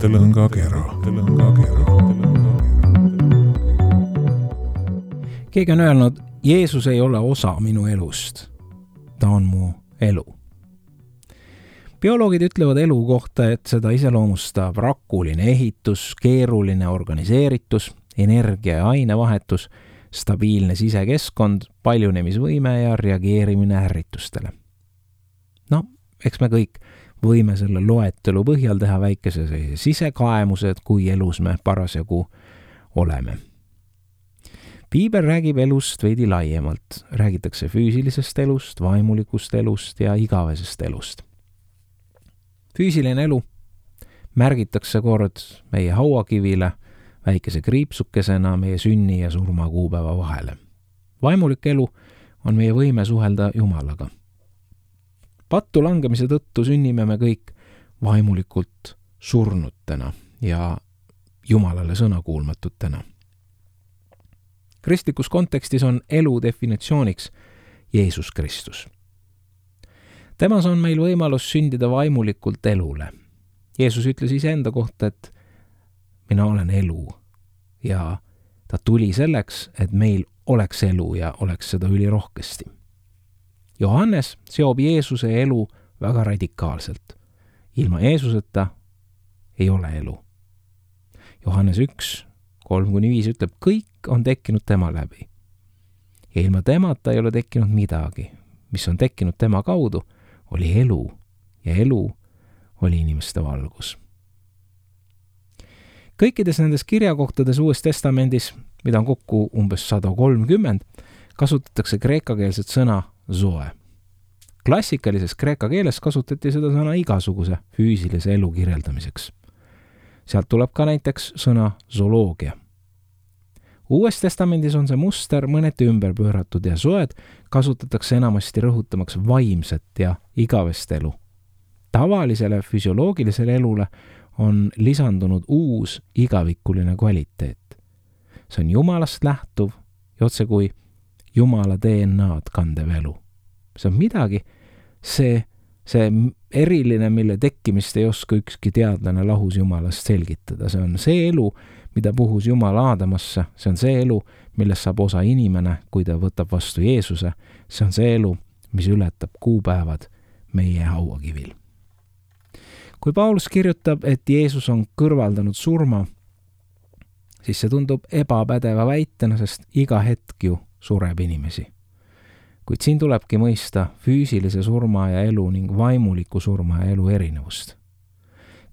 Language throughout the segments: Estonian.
mõttelõngakera. Keegi on öelnud, Jeesus ei ole osa minu elust. Ta on mu elu. Bioloogid ütlevad elu kohta, et seda iseloomustab rakuline ehitus, keeruline organiseeritus, energia ja ainevahetus, stabiilne sisekeskkond, paljunemisvõime ja reageerimine ärritustele. No, eks me kõik võime selle loetelu põhjal teha väikese sisekaemused, kui elus me parasjagu oleme. Piibel räägib elust veidi laiemalt. Räägitakse füüsilisest elust, vaimulikust elust ja igavesest elust. Füüsiline elu märgitakse kord meie hauakivile väikese kriipsukesena meie sünni ja surma kuupäeva vahele. Vaimulik elu on meie võime suhelda Jumalaga. Pattu langemise tõttu sünnime me kõik vaimulikult surnutena ja Jumalale sõnakuulmatutena. Kristlikus kontekstis on elu definitsiooniks Jeesus Kristus. Temas on meil võimalus sündida vaimulikult elule. Jeesus ütles iseenda kohta, et mina olen elu ja ta tuli selleks, et meil oleks elu ja oleks seda ülirohkesti. Johannes seob Jeesuse elu väga radikaalselt. Ilma Jeesuseta ei ole elu. Johannes 1, 3-5 ütleb, kõik on tekkinud tema läbi. Ja ilma temata ei ole tekkinud midagi. Mis on tekkinud tema kaudu, oli elu ja elu oli inimeste valgus. Kõikides nendes kirjakohtades Uues Testamendis, mida on kokku umbes 130, kasutatakse kreekakeelset sõna zoe. Klassikalises kreeka keeles kasutati seda sõna igasuguse füüsilise elu kirjeldamiseks. Sealt tuleb ka näiteks sõna zooloogia. Uues Testamendis on see muster mõneti ümber pööratud ja zoed kasutatakse enamasti rõhutamaks vaimset ja igavest elu. Tavalisele füsioloogilisele elule on lisandunud uus igavikuline kvaliteet. See on Jumalast lähtuv ja otse kui Jumala DNA-d kandev elu. See on midagi, see eriline, mille tekkimist ei oska ükski teadlane lahus Jumalast selgitada. See on see elu, mida puhus Jumal Aadamasse. See on see elu, millest saab osa inimene, kui ta võtab vastu Jeesuse. See on see elu, mis ületab kuupäevad meie hauakivil. Kui Paulus kirjutab, et Jeesus on kõrvaldanud surma, siis see tundub ebapädeva väitena, sest iga hetk ju sureb inimesi. Kuid siin tulebki mõista füüsilise surma ja elu ning vaimuliku surma ja elu erinevust.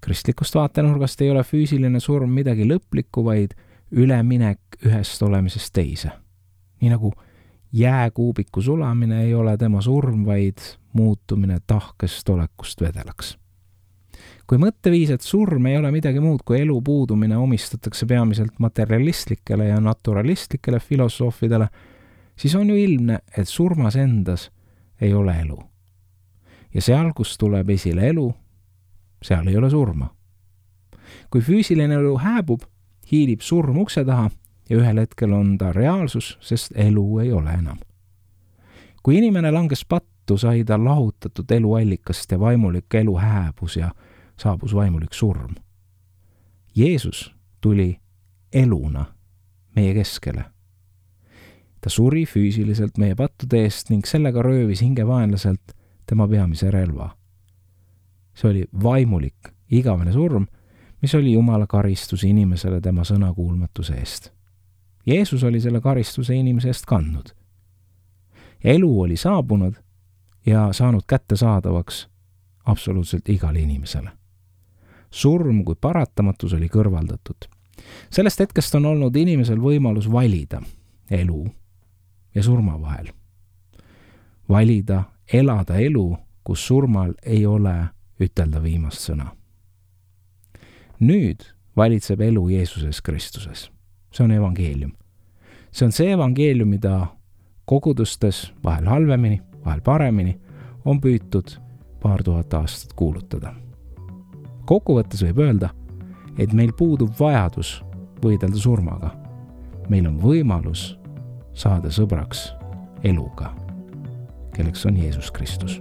Kristlikust vaatenurgast ei ole füüsiline surm midagi lõplikku, vaid üleminek ühest olemisest teise. Nii nagu jääkuubiku sulamine ei ole tema surm, vaid muutumine tahkest olekust vedelaks. Kui mõtteviis, et surm ei ole midagi muud kui elu puudumine, omistatakse peamiselt materialistlikele ja naturalistlikele filosoofidele, siis on ju ilmne, et surmas endas ei ole elu. Ja seal, kus tuleb esile elu, seal ei ole surma. Kui füüsiline elu hääbub, hiilib surm ukse taha ja ühel hetkel on ta reaalsus, sest elu ei ole enam. Kui inimene langes pattu, sai ta lahutatud eluallikast ja vaimulik elu hääbus ja saabus vaimulik surm. Jeesus tuli eluna meie keskele. Ta suri füüsiliselt meie pattude eest ning sellega röövis hingevaenlaselt tema peamise relva. See oli vaimulik, igavene surm, mis oli Jumala karistus inimesele tema sõnakuulmatuse eest. Jeesus oli selle karistuse inimese eest kandnud. Elu oli saabunud ja saanud kättesaadavaks absoluutselt igale inimesele. Surm kui paratamatus oli kõrvaldatud. Sellest hetkest on olnud inimesel võimalus valida elu ja surma vahel. Valida, elada elu, kus surmal ei ole ütelda viimast sõna. Nüüd valitseb elu Jeesuses Kristuses. See on evangeelium. See on see evangeelium, mida kogudustes vahel halvemini, vahel paremini on püütud 2000 aastat kuulutada. Kokkuvõttes võib öelda, et meil puudub vajadus võidelda surmaga. Meil on võimalus saada sõbraks eluga, kelleks on Jeesus Kristus.